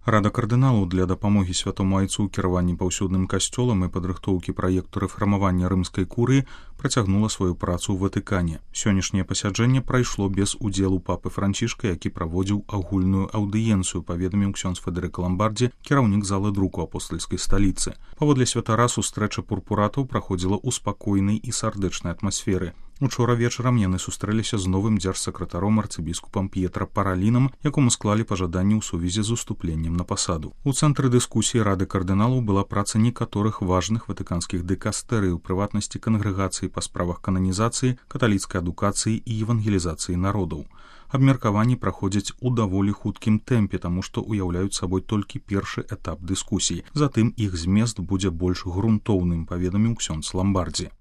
Рада кардыналаў для дапамогі святому айцу ў кіраванні паўсюдным касцёлам і падрыхтоўкі праекту рэфармавання рымскай курыі працягнула сваю працу ў Ватыкане. Сённяшняе пасяджэнне прайшло без удзелу папы Францішка, які праводзіў агульную аўдыенцыю, паведаміў ксёндз Федэрыка Ламбардзі, кіраўнік залы друку апостальскай сталіцы. Паводле святара сустрэча пурпуратаў праходзіла ў спакойнай і сардэчнай атмасферы. Учора вечарам яны сустрэліся з новым дзяржсакратаром арцыбіскупам П'етра Паралінам, якому склалі пажаданні ў сувязі з уступленнем на пасаду. У цэнтры дыскусіі Рады кардыналаў была праца некаторых важных ватыканскіх дыкастэрый, у прыватнасці кангрэгацыі па справах кананізацыі, каталіцкай адукацыі і евангелізацыі народаў. Абмеркаванні праходзяць у даволі хуткім тэмпе, таму што ўяўляюць сабой толькі першы этап дыскусій. Затым іх змест будзе больш грунтоўным, паведаміў ксёндз Ламбардзі.